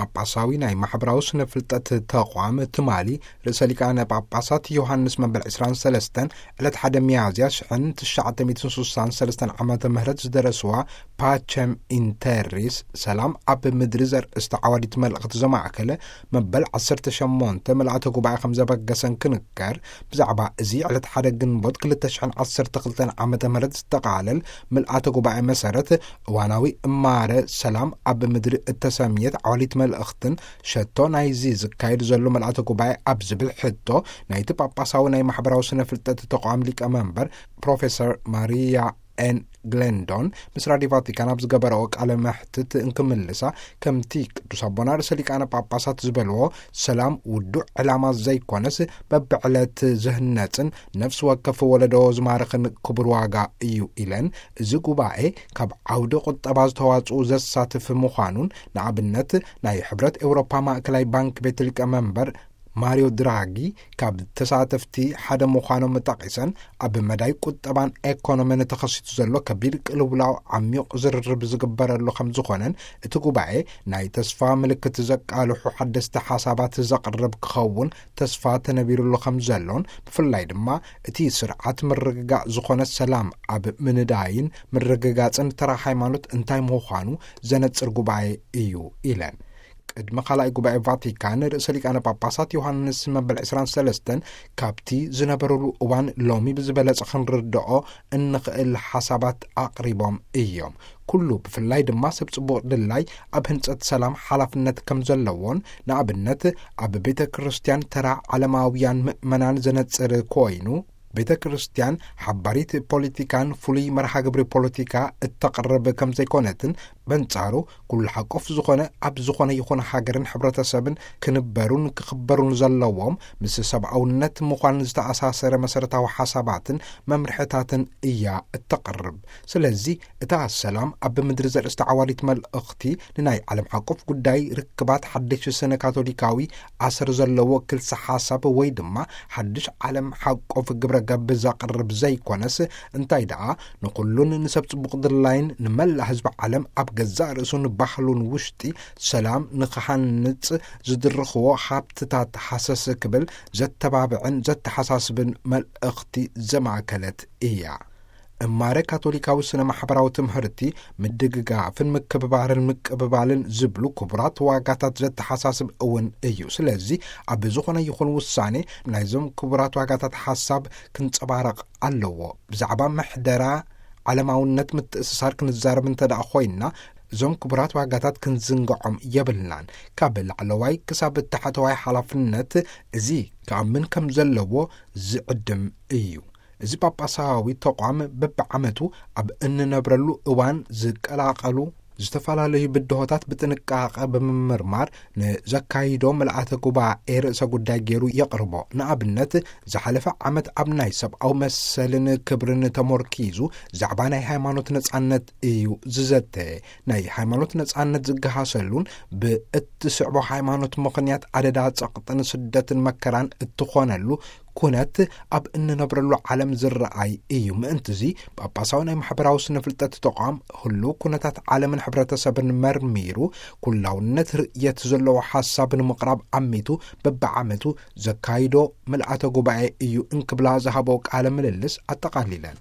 ጳጳሳዊ ናይ ማሕበራዊ ስነ ፍልጠት ተቋም ትማሊ ርእሰ ሊቃነ ጳጳሳት ዮሃንስ መበል ዕስራን ሰለስተን ዕለት ሓደ ሚያዝያ ሽሕን ትሽዓተ ሚእትን ስሳን ሰለስተን ዓመተ ምህረት ዝደረስዋ ፓቸም ኢንተሪስ፣ ሰላም ኣብ ምድሪ ዘርእስቲ ዓዋዲት መልእኽቲ ዘማእከለ መበል ዓሰርተ ሸሞንተ ምልኣተ ጉባኤ ከም ዘበገሰን ክንከር፣ ብዛዕባ እዚ ዕለት ሓደ ግንቦት ክልተ ሽሕን ዓሰርተ ክልተን ዓመተ ምህረት ዝተቓለል ምልኣተ ጉባኤ መሰረት፣ እዋናዊ እማረ ሰላም ኣብ ምድሪ እተሰምየት ዓዋዲት መልእኽትን ሸቶ ናይዚ ዝካየድ ዘሎ ምልኣተ ጉባኤ ኣብ ዝብል ሕቶ፣ ናይቲ ጳጳሳዊ ናይ ማሕበራዊ ስነ ፍልጠት ተቋም ሊቀ መንበር ፕሮፌሰር ማሪያ ኤን ግሌንዶን ምስ ራዲዮ ቫቲካን ኣብ ዝገበረኦ ቃለ መሕትት እንክምልሳ፣ ከምቲ ቅዱስ ኣቦና ርእሰ ሊቃነ ጳጳሳት ዝበልዎ፣ ሰላም ውዱእ ዕላማ ዘይኮነስ፣ በብዕለት ዝህነጽን ነፍሲ ወከፍ ወለዶ ዝማርኽን ክቡር ዋጋ እዩ ኢለን፣ እዚ ጉባኤ ካብ ዓውዲ ቁጠባ ዝተዋጽኡ ዘሳትፍ ምዃኑን፣ ንኣብነት ናይ ሕብረት ኤውሮፓ ማእከላይ ባንክ ቤት ሊቀ መንበር ማሪዮ ድራጊ ካብ ተሳተፍቲ ሓደ ምዃኖም ጠቒሰን፣ ኣብ መዳይ ቁጠባን ኤኮኖሚን ተኸሲቱ ዘሎ ከቢድ ቅልውላው ዓሚቕ ዝርርብ ዝግበረሉ ከም ዝኾነን፣ እቲ ጉባኤ ናይ ተስፋ ምልክት ዘቃልሑ ሓደስቲ ሓሳባት ዘቕርብ ክኸውን ተስፋ ተነቢሩሉ ከም ዘሎን፣ ብፍላይ ድማ እቲ ስርዓት ምርግጋእ ዝኾነ ሰላም ኣብ ምንዳይን ምርግጋጽን ተራ ሃይማኖት እንታይ ምዃኑ ዘነጽር ጉባኤ እዩ ኢለን። ቅድሚ ካልኣይ ጉባኤ ቫቲካን ርእሰ ሊቃነ ጳጳሳት ዮሃንስ መበል ዕስራን ሰለስተን ካብቲ ዝነበረሉ እዋን ሎሚ ብዝበለጸ ክንርድኦ እንኽእል ሓሳባት ኣቕሪቦም እዮም። ኩሉ ብፍላይ ድማ ሰብ ጽቡቕ ድላይ ኣብ ህንጸት ሰላም ሓላፍነት ከም ዘለዎን፣ ንኣብነት ኣብ ቤተ ክርስቲያን ተራ ዓለማውያን ምእመናን ዘነጽር ኮይኑ፣ ቤተ ክርስቲያን ሓባሪት ፖለቲካን ፍሉይ መርሃ ግብሪ ፖለቲካ እተቕርብ ከም ዘይኮነትን፣ በንጻሩ ኩሉ ሓቆፍ ዝኾነ ኣብ ዝኾነ ይኹን ሃገርን ሕብረተሰብን ክንበሩን ክኽበሩን ዘለዎም ምስ ሰብኣውነት ምዃን ዝተኣሳሰረ መሰረታዊ ሓሳባትን መምርሕታትን እያ እተቕርብ። ስለዚ እታ ሰላም ኣብ ምድሪ ዘርእስቲ ዓዋዲት መልእኽቲ ንናይ ዓለም ሓቆፍ ጉዳይ ርክባት ሓድሽ ስነ ካቶሊካዊ ኣሰር ዘለዎ ክልሰ ሓሳብ ወይ ድማ ሓድሽ ዓለም ሓቆፍ ግብረ ገብ ዘቕርብ ዘይኮነስ፣ እንታይ ደኣ ንኹሉን ንሰብ ጽቡቕ ድላይን ንመላእ ህዝቢ ዓለም ኣብ ገዛእ ርእሱን ባህሉን ውሽጢ ሰላም ንኽሃንጽ ዝድርኽዎ ሃብትታት ሃሰስ ክብል ዘተባብዕን ዘተሓሳስብን መልእኽቲ ዘማእከለት እያ። እማረ ካቶሊካዊ ስነ ማሕበራዊ ትምህርቲ ምድግጋፍን ምክብባርን ምቅብባልን ዝብሉ ክቡራት ዋጋታት ዘተሓሳስብ እውን እዩ። ስለዚ ኣብ ዝኾነ ይኹን ውሳኔ ናይዞም ክቡራት ዋጋታት ሓሳብ ክንጸባረቕ ኣለዎ። ብዛዕባ ምሕደራ ዓለማውነት ምትእስሳር ክንዛረብ እንተ ደኣ ኮይንና፣ እዞም ክቡራት ዋጋታት ክንዝንግዖም የብልናን። ካብ ላዕለዋይ ክሳብ ታሕተዋይ ሓላፍነት እዚ ክኣምን ከም ዘለዎ ዝዕድም እዩ። እዚ ጳጳሳዊ ተቋም በብዓመቱ ኣብ እንነብረሉ እዋን ዝቀላቐሉ ዝተፈላለዩ ብድሆታት ብጥንቃቐ ብምምርማር ንዘካይዶ ምልኣተ ጉባኤ ርእሰ ጉዳይ ገይሩ የቕርቦ። ንኣብነት፣ ዝሓለፈ ዓመት ኣብ ናይ ሰብኣዊ መሰልን ክብርን ተሞርኪዙ ዛዕባ ናይ ሃይማኖት ነጻነት እዩ ዝዘተ። ናይ ሃይማኖት ነጻነት ዝገሃሰሉን ብእትስዕቦ ሃይማኖት ምኽንያት ኣደዳ ጸቕጥን ስደትን መከራን እትኾነሉ ኩነት ኣብ እንነብረሉ ዓለም ዝረኣይ እዩ። ምእንትዚ ጳጳሳዊ ናይ ማሕበራዊ ስነ ፍልጠት ተቋም ህሉው ኩነታት ዓለምን ሕብረተሰብን መርሚሩ ኩላውነት ርእየት ዘለዎ ሓሳብ ንምቕራብ ዓሚቱ በብዓመቱ ዘካይዶ ምልኣተ ጉባኤ እዩ እንክብላ ዝሃበኦ ቃለ ምልልስ ኣጠቓሊለን።